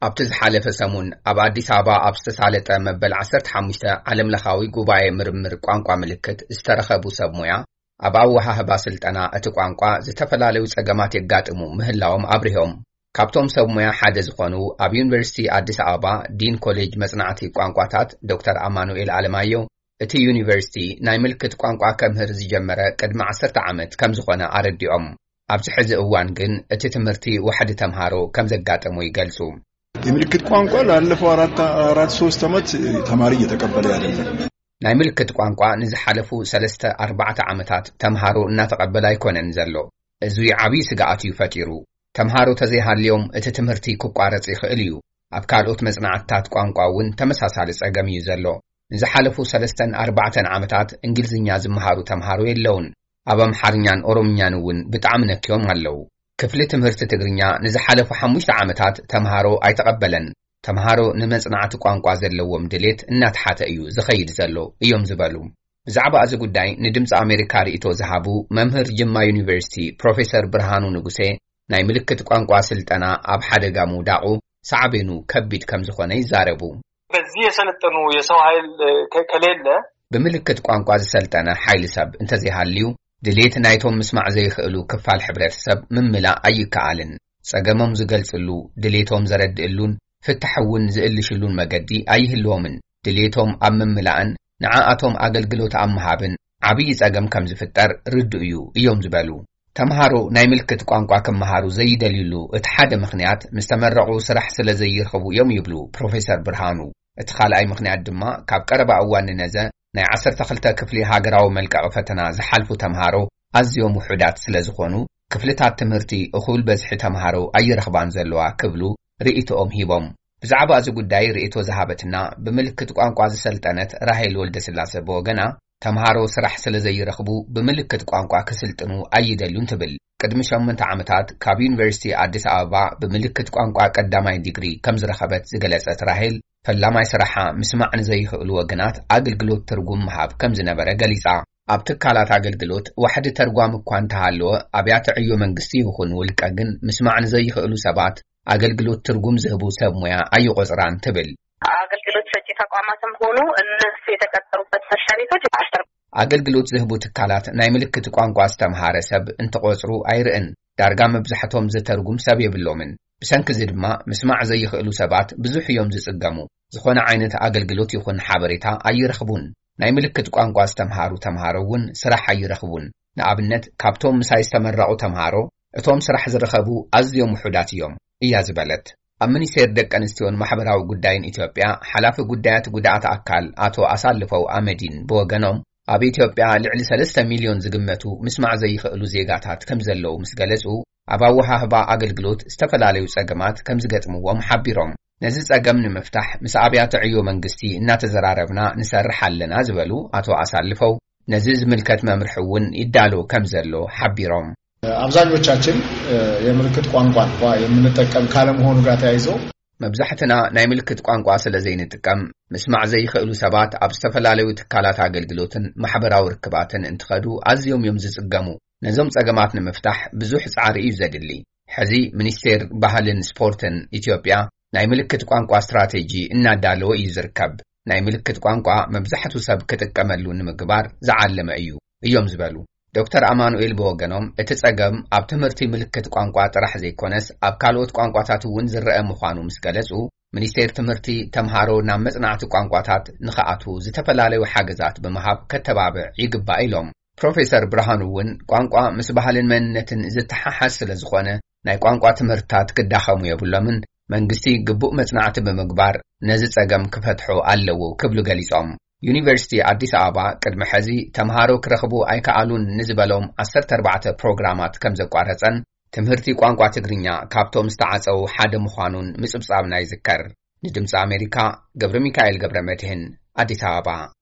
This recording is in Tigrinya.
ኣብቲ ዝሓለፈ ሰሙን ኣብ ኣዲስ ኣበባ ኣብ ዝተሳለጠ መበል ዓሰርተ ሓሙሽተ ዓለምለኻዊ ጉባኤ ምርምር ቋንቋ ምልክት ዝተረኸቡ ሰብ ሞያ፣ ኣብ ኣወሃህባ ስልጠና እቲ ቋንቋ ዝተፈላለዩ ጸገማት የጋጥሙ ምህላዎም ኣብሪሆም። ካብቶም ሰብ ሞያ ሓደ ዝኾኑ ኣብ ዩኒቨርሲቲ ኣዲስ ኣበባ ዲን ኮሌጅ መጽናዕቲ ቋንቋታት ዶክተር ኣማኑኤል ኣለማየሁ፣ እቲ ዩኒቨርሲቲ ናይ ምልክት ቋንቋ ከምህር ዝጀመረ ቅድሚ ዓሰርተ ዓመት ከም ዝኾነ ኣረዲኦም። ኣብዚ ሕዚ እዋን ግን እቲ ትምህርቲ ዋሕዲ ተምሃሮ ከም ዘጋጠሞ ይገልጹ። የምልክት ቋንቋ ላለፈው አራት አራት ሶስት ዓመት ተማሪ እየተቀበለ አይደለም። ናይ ምልክት ቋንቋ ንዝሓለፉ ሰለስተ ኣርባዕተ ዓመታት ተምሃሮ እናተቐበለ ኣይኮነን ዘሎ። እዚ ዓብዪ ስግኣት እዩ ፈጢሩ። ተምሃሮ ተዘይሃልዮም እቲ ትምህርቲ ክቋረጽ ይኽእል እዩ። ኣብ ካልኦት መጽናዕትታት ቋንቋ እውን ተመሳሳሊ ጸገም እዩ ዘሎ። ንዝሓለፉ ሰለስተን ኣርባዕተን ዓመታት እንግሊዝኛ ዝመሃሩ ተምሃሮ የለውን። ኣብ ኣምሓርኛን ኦሮምኛን እውን ብጣዕሚ ነክዮም ኣለዉ። ክፍሊ ትምህርቲ ትግርኛ ንዝሓለፉ ሓሙሽተ ዓመታት ተምሃሮ ኣይተቐበለን። ተምሃሮ ንመጽናዕቲ ቋንቋ ዘለዎም ድሌት እናተሓተ እዩ ዝኸይድ ዘሎ እዮም ዝበሉ። ብዛዕባ እዚ ጉዳይ ንድምፂ ኣሜሪካ ርእይቶ ዝሃቡ መምህር ጅማ ዩኒቨርሲቲ ፕሮፌሰር ብርሃኑ ንጉሴ፣ ናይ ምልክት ቋንቋ ስልጠና ኣብ ሓደጋ ምውዳቑ ሳዕቤኑ ከቢድ ከም ዝኾነ ይዛረቡ። በዚህ የሰለጠኑ የሰው ኃይል ከ-፣ ከሌለ ብምልክት ቋንቋ ዝሰልጠነ ሓይሊ ሰብ እንተዘይሃልዩ፣ ድሌት ናይቶም ምስማዕ ዘይኽእሉ ክፋል ሕብረተሰብ ምምላእ ኣይከኣልን። ጸገሞም ዝገልጽሉ፣ ድሌቶም ዘረድእሉን ፍታሕ እውን ዝእልሽሉን መገዲ ኣይህልዎምን። ድሌቶም ኣብ ምምላእን ንዓኣቶም ኣገልግሎት ኣብ ምሃብን ዓብዪ ጸገም ከም ዝፍጠር ርዱእ እዩ እዮም ዝበሉ። ተምሃሮ ናይ ምልክት ቋንቋ ክመሃሩ ዘይደልዩሉ እቲ ሓደ ምኽንያት፣ ምስ ተመረቑ ስራሕ ስለ ዘይረኽቡ እዮም ይብሉ ፕሮፌሰር ብርሃኑ። እቲ ካልኣይ ምኽንያት ድማ፣ ካብ ቀረባ እዋን ንነዘ ናይ ዓሰርተ ክልተ ክፍሊ ሃገራዊ መልቀቒ ፈተና ዝሓልፉ ተምሃሮ ኣዝዮም ውሑዳት ስለ ዝኾኑ፣ ክፍልታት ትምህርቲ እኹል በዝሒ ተምሃሮ ኣይረኽባን ዘለዋ ክብሉ ርእይቶኦም ሂቦም። ብዛዕባ እዚ ጉዳይ ርእይቶ ዝሃበትና ብምልክት ቋንቋ ዝሰልጠነት ራሄል ወልደስላሰ ብወገና፣ ተምሃሮ ስራሕ ስለ ዘይረኽቡ ብምልክት ቋንቋ ክስልጥኑ ኣይደልዩን ትብል። ቅድሚ ሸሞንተ ዓመታት ካብ ዩኒቨርሲቲ ኣዲስ ኣበባ ብምልክት ቋንቋ ቀዳማይ ዲግሪ ከም ዝረኸበት ዝገለጸት ራሄል፣ ፈላማይ ስራሓ ምስማዕ ንዘይኽእሉ ወገናት ኣገልግሎት ትርጉም ምሃብ ከም ዝነበረ ገሊጻ። ኣብ ትካላት ኣገልግሎት ዋሕዲ ተርጓም እኳ እንተሃለወ፣ ኣብያተ ዕዮ መንግስቲ ይኹን ውልቀ ግን ምስማዕ ንዘይኽእሉ ሰባት ኣገልግሎት ትርጉም ዝህቡ ሰብ ሞያ ኣይቆጽራን ትብል። አገልግሎት ሰጪ ተቋማትም ሆኑ እነሱ የተቀጠሩበት መስሪያ ቤቶች አስተር- ኣገልግሎት ዝህቡ ትካላት ናይ ምልክት ቋንቋ ዝተምሃረ ሰብ እንትቆጽሩ ኣይርእን። ዳርጋ መብዛሕቶም ዝተርጉም ሰብ የብሎምን። ብሰንኪ እዚ ድማ ምስማዕ ዘይኽእሉ ሰባት ብዙሕ እዮም ዝጽገሙ። ዝኾነ ዓይነት ኣገልግሎት ይኹን ሓበሬታ ኣይረኽቡን። ናይ ምልክት ቋንቋ ዝተምሃሩ ተምሃሮ እውን ስራሕ ኣይረኽቡን። ንኣብነት፣ ካብቶም ምሳይ ዝተመረቑ ተምሃሮ፣ እቶም ስራሕ ዝረኸቡ ኣዝዮም ውሑዳት እዮም እያ ዝበለት። ኣብ ሚኒስቴር ደቂ ኣንስትዮን ማሕበራዊ ጉዳይን ኢትዮጵያ ሓላፊ ጉዳያት ጉድኣት ኣካል ኣቶ ኣሳልፈው ኣመዲን ብወገኖም፣ ኣብ ኢትዮጵያ ልዕሊ ሰለስተ ሚልዮን ዝግመቱ ምስማዕ ዘይኽእሉ ዜጋታት ከም ዘለዉ ምስ ገለጹ፣ ኣብ ኣወሃህባ ኣገልግሎት ዝተፈላለዩ ጸገማት ከም ዝገጥምዎም ሓቢሮም። ነዚ ጸገም ንምፍታሕ ምስ ኣብያተ ዕዮ መንግስቲ እናተዘራረብና ንሰርሕ ኣለና ዝበሉ ኣቶ ኣሳልፈው፣ ነዚ ዝምልከት መምርሒ እውን ይዳሎ ከም ዘሎ ሓቢሮም። አብዛኞቻችን የምልክት ቋንቋን እንኳ የምንጠቀም ካለመሆኑ ጋር ተያይዞ መብዛሕትና ናይ ምልክት ቋንቋ ስለ ዘይንጥቀም፣ ምስማዕ ዘይኽእሉ ሰባት ኣብ ዝተፈላለዩ ትካላት ኣገልግሎትን ማሕበራዊ ርክባትን እንትኸዱ ኣዝዮም እዮም ዝጽገሙ። ነዞም ጸገማት ንምፍታሕ ብዙሕ ጻዕሪ እዩ ዘድሊ። ሕዚ ሚኒስቴር ባህልን ስፖርትን ኢትዮጵያ ናይ ምልክት ቋንቋ ስትራቴጂ እናዳለወ እዩ ዝርከብ። ናይ ምልክት ቋንቋ መብዛሕቱ ሰብ ክጥቀመሉ ንምግባር ዝዓለመ እዩ እዮም ዝበሉ ዶክተር ኣማኑኤል ብወገኖም፣ እቲ ጸገም ኣብ ትምህርቲ ምልክት ቋንቋ ጥራሕ ዘይኮነስ ኣብ ካልኦት ቋንቋታት እውን ዝረአ ምዃኑ ምስ ገለጹ፣ ሚኒስቴር ትምህርቲ ተምሃሮ ናብ መጽናዕቲ ቋንቋታት ንኽኣትዉ ዝተፈላለዩ ሓገዛት ብምሃብ ከተባብዕ ይግባእ ኢሎም። ፕሮፌሰር ብርሃኑ እውን ቋንቋ ምስ ባህልን መንነትን ዝተሓሓዝ ስለ ዝኾነ ናይ ቋንቋ ትምህርትታት ክዳኸሙ የብሎምን፣ መንግስቲ ግቡእ መጽናዕቲ ብምግባር ነዚ ጸገም ክፈትሖ ኣለዎ ክብሉ ገሊጾም። ዩኒቨርሲቲ ኣዲስ ኣበባ ቅድሚ ሕዚ ተምሃሮ ክረኽቡ ኣይከኣሉን ንዝበሎም ዓሰርተ ኣርባዕተ ፕሮግራማት ከም ዘቋረጸን ትምህርቲ ቋንቋ ትግርኛ ካብቶም ዝተዓጸዉ ሓደ ምዃኑን ምጽብጻብና ይዝከር። ንድምፂ ኣሜሪካ ገብረ ሚካኤል ገብረ መድህን ኣዲስ ኣበባ።